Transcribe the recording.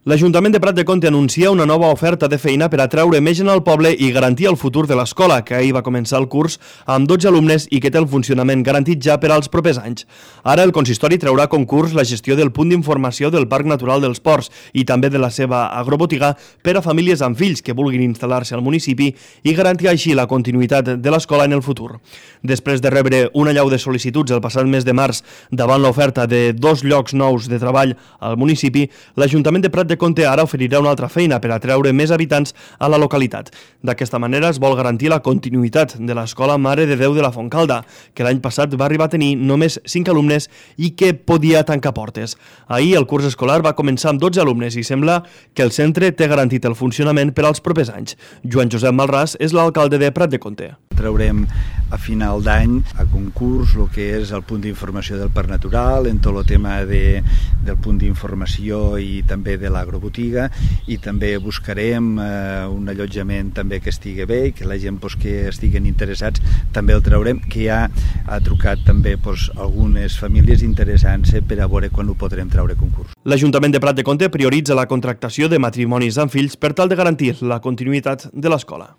L'Ajuntament de Prat de Comte anuncia una nova oferta de feina per atraure més gent al poble i garantir el futur de l'escola, que ahir va començar el curs amb 12 alumnes i que té el funcionament garantit ja per als propers anys. Ara el consistori traurà a concurs la gestió del punt d'informació del Parc Natural dels Ports i també de la seva agrobotiga per a famílies amb fills que vulguin instal·lar-se al municipi i garantir així la continuïtat de l'escola en el futur. Després de rebre una allau de sol·licituds el passat mes de març davant l'oferta de 2 llocs nous de treball al municipi, l'Ajuntament de Prat de Comte ara oferirà una altra feina per atreure més habitants a la localitat. D'aquesta manera es vol garantir la continuïtat de l'Escola Mare de Déu de la Fontcalda, que l'any passat va arribar a tenir només 5 alumnes i que podia tancar portes. Ahir el curs escolar va començar amb 12 alumnes i sembla que el centre té garantit el funcionament per als propers anys. Joan Josep Malràs és l'alcalde de Prat de Comte. Traurem a final d'any a concurs el que és el punt d'informació del Parc Natural, en tot el tema del punt d'informació i també de l'agrobotiga, i també buscarem un allotjament també que estigui bé i que la gent que estiguen interessats també el traurem, que ja ha trucat també algunes famílies interessant-se per a veure quan ho podrem treure a concurs. L'Ajuntament de Prat de Comte prioritza la contractació de matrimonis amb fills per tal de garantir la continuïtat de l'escola.